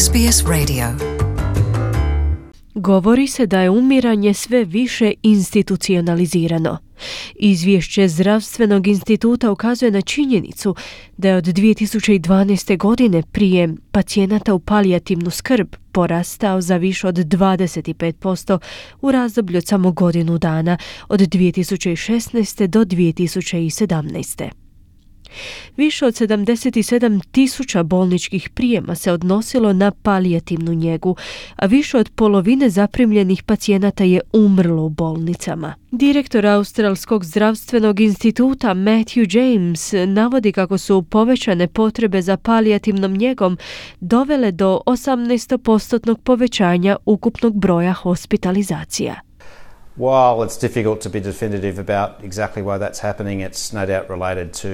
SBS Radio. Govori se da je umiranje sve više institucionalizirano. Izvješće Zdravstvenog instituta ukazuje na činjenicu da je od 2012. godine prijem pacijenata u palijativnu skrb porastao za više od 25% u razdoblju od samo godinu dana, od 2016. do 2017. Više od 77.000 bolničkih prijema se odnosilo na palijativnu njegu, a više od polovine zaprimljenih pacijenata je umrlo u bolnicama. Direktor Australskog zdravstvenog instituta Matthew James navodi kako su povećane potrebe za palijativnom njegom dovele do 18% povećanja ukupnog broja hospitalizacija. While it's difficult to be definitive about exactly why that's happening, it's no doubt related to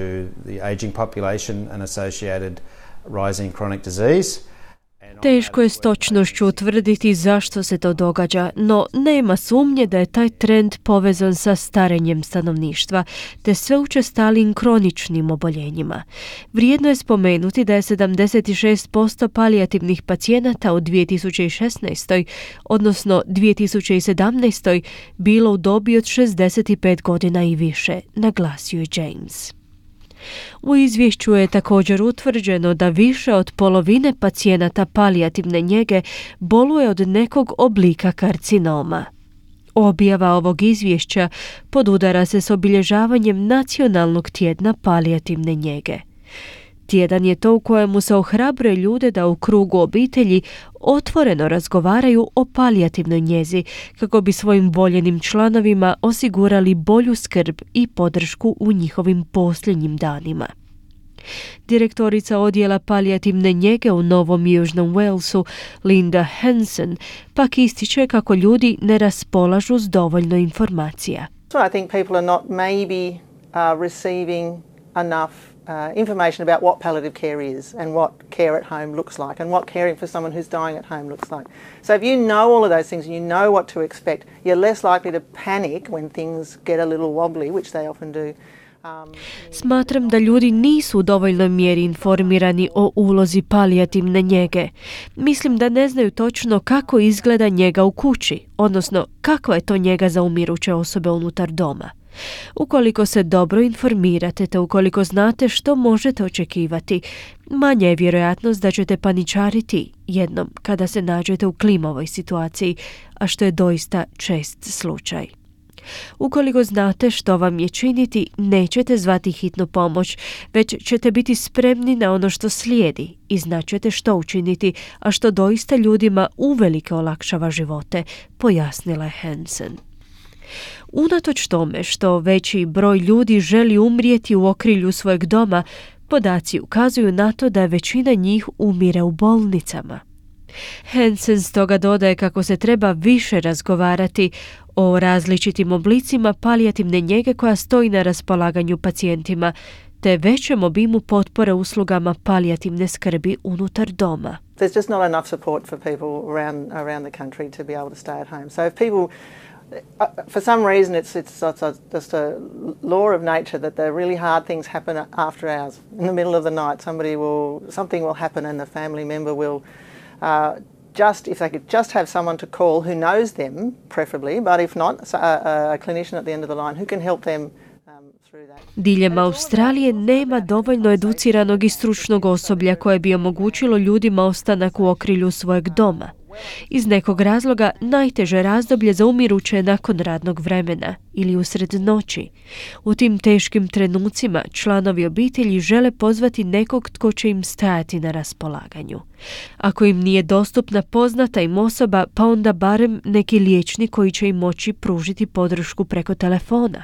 the ageing population and associated rising chronic disease. Teško je s točnošću utvrditi zašto se to događa, no nema sumnje da je taj trend povezan sa starenjem stanovništva te sve učestalijim kroničnim oboljenjima. Vrijedno je spomenuti da je 76% palijativnih pacijenata u 2016. odnosno 2017. bilo u dobi od 65 godina i više, naglasio je James. U izvješću je također utvrđeno da više od polovine pacijenata palijativne njege boluje od nekog oblika karcinoma. Objava ovog izvješća podudara se s obilježavanjem Nacionalnog tjedna palijativne njege. Tjedan je to u kojemu se ohrabruje ljude da u krugu obitelji otvoreno razgovaraju o palijativnoj njezi kako bi svojim voljenim članovima osigurali bolju skrb i podršku u njihovim posljednjim danima. Direktorica odjela palijativne njege u Novom Južnom Walesu, Linda Hansen, pak ističe kako ljudi ne raspolažu s dovoljno informacija. So I think people are not maybe receiving enough information about what palliative care is and what care at home looks like and what caring for someone who's dying at home looks like. So if you know all of those things and you know what to expect, you're less likely to panic when things get a little wobbly, which they often do. Smatram da ljudi nisu u dovoljnoj mjeri informirani o ulozi palijativne njege. Mislim da ne znaju točno kako izgleda njega u kući, odnosno kakva je to njega za umiruće osobe unutar doma. Ukoliko se dobro informirate te ukoliko znate što možete očekivati, manja je vjerojatnost da ćete paničariti jednom kada se nađete u klimavoj situaciji, a što je doista čest slučaj. Ukoliko znate što vam je činiti, nećete zvati hitnu pomoć, već ćete biti spremni na ono što slijedi i znaćete što učiniti, a što doista ljudima uvelike olakšava živote, pojasnila je Hansen. Unatoč tome što veći broj ljudi želi umrijeti u okrilju svojeg doma, podaci ukazuju na to da većina njih umire u bolnicama. Hansen stoga dodaje kako se treba više razgovarati o različitim oblicima palijativne njege koja stoji na raspolaganju pacijentima, te većem obimu potpore uslugama palijativne skrbi unutar doma. There's just not enough support for people around the country to be able to stay at home. So if people for some reason it's just a law of nature that the really hard things happen after hours. In the middle of the night something will happen and the family member will if they could just have someone to call who knows them, preferably, but if not, a clinician at the end of the line who can help them through that. Diljem Australije nema dovoljno educiranog i stručnog osoblja koje bi omogućilo ljudima ostanak u okrilju svojeg doma. Iz nekog razloga najteže razdoblje za umiruće je nakon radnog vremena ili usred noći. U tim teškim trenucima članovi obitelji žele pozvati nekog tko će im stajati na raspolaganju. Ako im nije dostupna poznata im osoba, pa onda barem neki liječnik koji će im moći pružiti podršku preko telefona.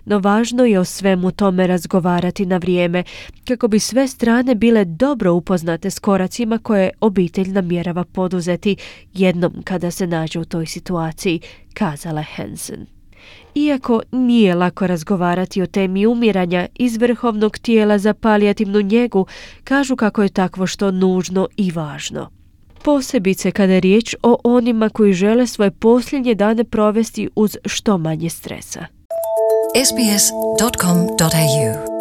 No važno je o svemu tome razgovarati na vrijeme kako bi sve strane bile dobro upoznate s koracima koje obitelj namjerava poduzeti jednom kada se nađe u toj situaciji, kazala Hansen. Iako nije lako razgovarati o temi umiranja, iz Vrhovnog tijela za palijativnu njegu kažu kako je takvo što nužno i važno. Posebice kada je riječ o onima koji žele svoje posljednje dane provesti uz što manje stresa. sbs.com.au